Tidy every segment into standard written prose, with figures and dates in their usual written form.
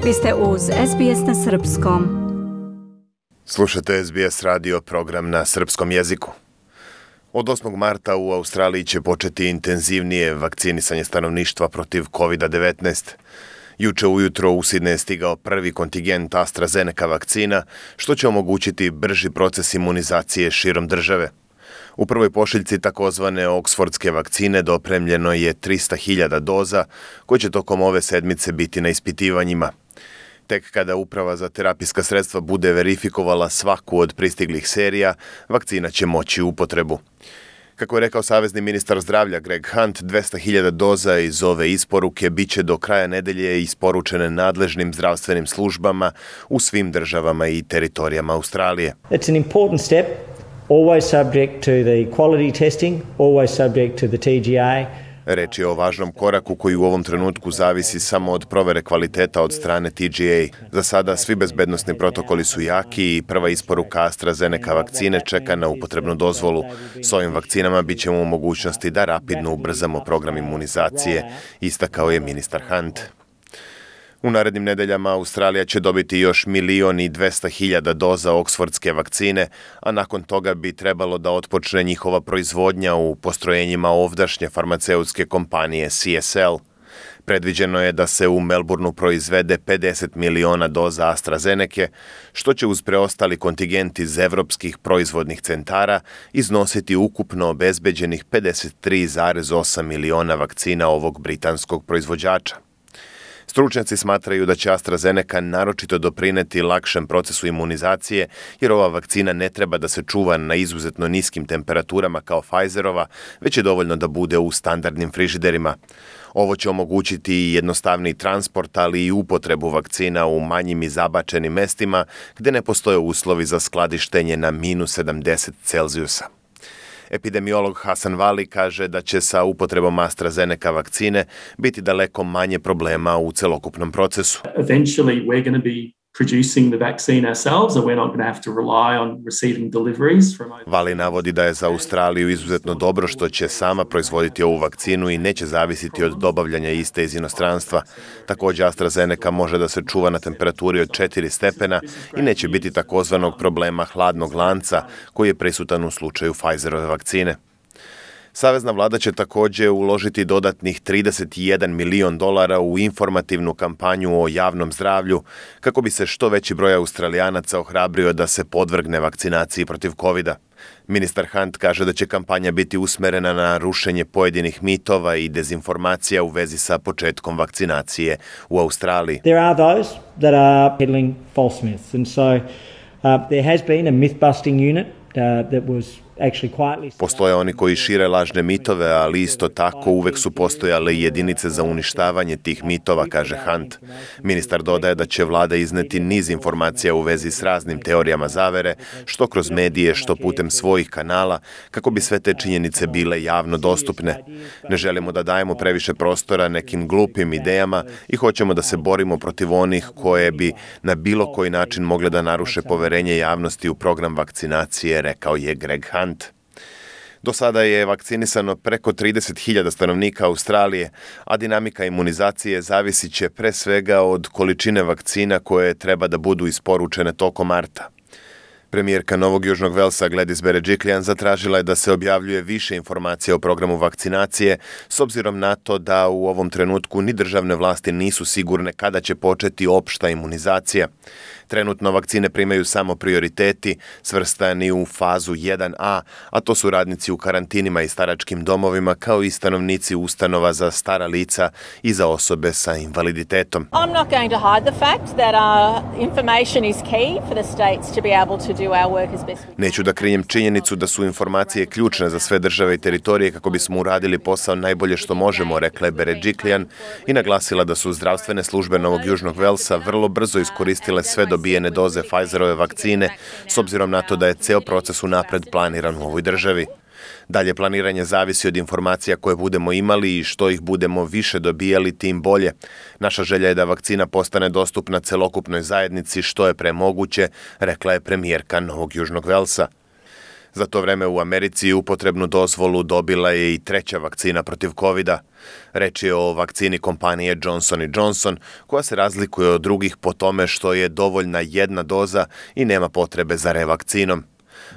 Vi ste uz SBS na srpskom. Slušate SBS radio program na srpskom jeziku. Od 8. marta u Australiji će početi intenzivnije vakcinisanje stanovništva protiv COVID-19. Juče ujutro u Sidneju je stigao prvi kontingent AstraZeneca vakcina, što će omogućiti brži proces imunizacije širom države. U prvoj pošiljci takozvane oksfordske vakcine dopremljeno je 300.000 doza, koje će tokom ove sedmice biti na ispitivanjima. Tek kada Uprava za terapijska sredstva bude verifikovala svaku od pristiglih serija, vakcina će moći u upotrebu. Kako je rekao savezni ministar zdravlja Greg Hunt, 200.000 doza iz ove isporuke bit će do kraja nedelje isporučene nadležnim zdravstvenim službama u svim državama i teritorijama Australije. It's an important step, always subject to the quality testing, always subject to the TGA. Reč je o važnom koraku koji u ovom trenutku zavisi samo od provere kvaliteta od strane TGA. Za sada svi bezbednosni protokoli su jaki i prva isporuka AstraZeneca vakcine čeka na upotrebnu dozvolu. S ovim vakcinama bit ćemo u mogućnosti da rapidno ubrzamo program imunizacije, istakao je ministar Hunt. U narednim nedeljama Australija će dobiti još 1.200.000 doza oksfordske vakcine, a nakon toga bi trebalo da otpočne njihova proizvodnja u postrojenjima ovdašnje farmaceutske kompanije CSL. Predviđeno je da se u Melbourneu proizvede 50 miliona doza AstraZenece, što će uz preostali kontingent iz evropskih proizvodnih centara iznositi ukupno obezbeđenih 53,8 miliona vakcina ovog britanskog proizvođača. Stručnjaci smatraju da će AstraZeneca naročito doprineti lakšem procesu imunizacije, jer ova vakcina ne treba da se čuva na izuzetno niskim temperaturama kao Pfizerova, već je dovoljno da bude u standardnim frižiderima. Ovo će omogućiti i jednostavniji transport, ali i upotrebu vakcina u manjim i zabačenim mestima gde ne postoje uslovi za skladištenje na -70 Celzijusa. Epidemiolog Hasan Vali kaže da će sa upotrebom AstraZeneca vakcine biti daleko manje problema u celokupnom procesu. Eventually we're going to be producing the vaccine ourselves, and we're not going to have to rely on receiving deliveries from. Vali navodi da je za Australiju izuzetno dobro što će sama proizvoditi ovu vakcinu i neće zavisiti od dobavljanja iste iz inostranstva. Također AstraZeneca može da se čuva na temperaturi od 4 stepena i neće biti takozvanog problema hladnog lanca koji je prisutan u slučaju Pfizerove vakcine. Savezna vlada će također uložiti dodatnih $31 milion u informativnu kampanju o javnom zdravlju kako bi se što veći broj Australijanaca ohrabrio da se podvrgne vakcinaciji protiv COVID-a. Ministar Hunt kaže da će kampanja biti usmerena na rušenje pojedinih mitova i dezinformacija u vezi sa početkom vakcinacije u Australiji. There are those that are peddling false myths, and so there has been a myth-busting unit that was. Postoje oni koji šire lažne mitove, ali isto tako uvek su postojale i jedinice za uništavanje tih mitova, kaže Hunt. Ministar dodaje da će vlada izneti niz informacija u vezi s raznim teorijama zavere, što kroz medije, što putem svojih kanala, kako bi sve te činjenice bile javno dostupne. Ne želimo da dajemo previše prostora nekim glupim idejama i hoćemo da se borimo protiv onih koje bi na bilo koji način mogle da naruše poverenje javnosti u program vakcinacije, rekao je Greg Hunt. Do sada je vakcinisano preko 30.000 stanovnika Australije, a dinamika imunizacije zavisit će pre svega od količine vakcina koje treba da budu isporučene tokom marta. Premijerka Novog Južnog Velsa Gladys Berejiklian zatražila je da se objavljuje više informacija o programu vakcinacije, s obzirom na to da u ovom trenutku ni državne vlasti nisu sigurne kada će početi opšta imunizacija. Trenutno vakcine primaju samo prioriteti, svrstani u fazu 1A, a to su radnici u karantinima i staračkim domovima, kao i stanovnici ustanova za stara lica i za osobe sa invaliditetom. I'm not going to hide the fact that information is key for the states to be able to do our work as best we can. Neću da krijem činjenicu da su informacije ključne za sve države i teritorije kako bismo uradili posao najbolje što možemo, rekla je Berejiklian i naglasila da su zdravstvene službe Novog Južnog Velsa vrlo brzo iskoristile sve dobijene doze Pfizerove vakcine, s obzirom na to da je ceo proces unapred planiran u ovoj državi. Dalje planiranje zavisi od informacija koje budemo imali i što ih budemo više dobijali, tim bolje. Naša želja je da vakcina postane dostupna celokupnoj zajednici što je pre moguće, rekla je premijerka Novog Južnog Velsa. Za to vreme u Americi upotrebnu dozvolu dobila je i treća vakcina protiv covida. Reč je o vakcini kompanije Johnson & Johnson, koja se razlikuje od drugih po tome što je dovoljna jedna doza i nema potrebe za revakcinom.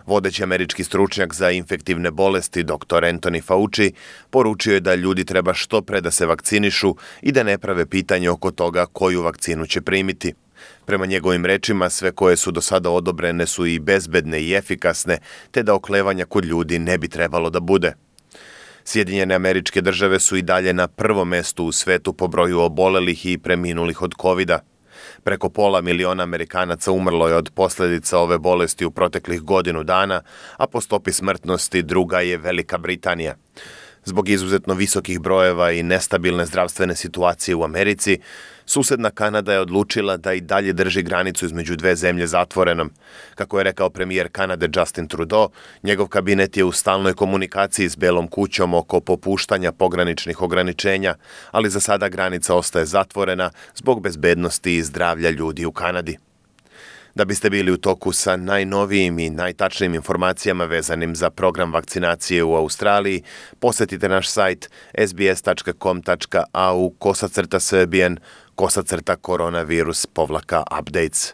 Vodeći američki stručnjak za infektivne bolesti dr. Anthony Fauci poručio je da ljudi treba što pre da se vakcinišu i da ne prave pitanje oko toga koju vakcinu će primiti. Prema njegovim rečima, sve koje su do sada odobrene su i bezbedne i efikasne, te da oklevanja kod ljudi ne bi trebalo da bude. Sjedinjene Američke Države su i dalje na prvom mestu u svetu po broju obolelih i preminulih od covida. Preko 500.000 Amerikanaca umrlo je od posljedica ove bolesti u proteklih godinu dana, a po stopi smrtnosti druga je Velika Britanija. Zbog izuzetno visokih brojeva i nestabilne zdravstvene situacije u Americi, susedna Kanada je odlučila da i dalje drži granicu između dve zemlje zatvorenom. Kako je rekao premijer Kanade Justin Trudeau, njegov kabinet je u stalnoj komunikaciji s Belom kućom oko popuštanja pograničnih ograničenja, ali za sada granica ostaje zatvorena zbog bezbednosti i zdravlja ljudi u Kanadi. Da biste bili u toku sa najnovijim i najtačnijim informacijama vezanim za program vakcinacije u Australiji, posjetite naš sajt sbs.com.au/Srbian/koronavirus-updates.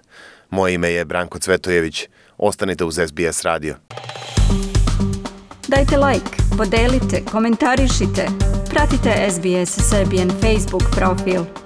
Moje ime je Branko Cvetojević. Ostanite uz SBS radio. Dajte like, podelite, komentarišite. Pratite SBS Serbian Facebook profil.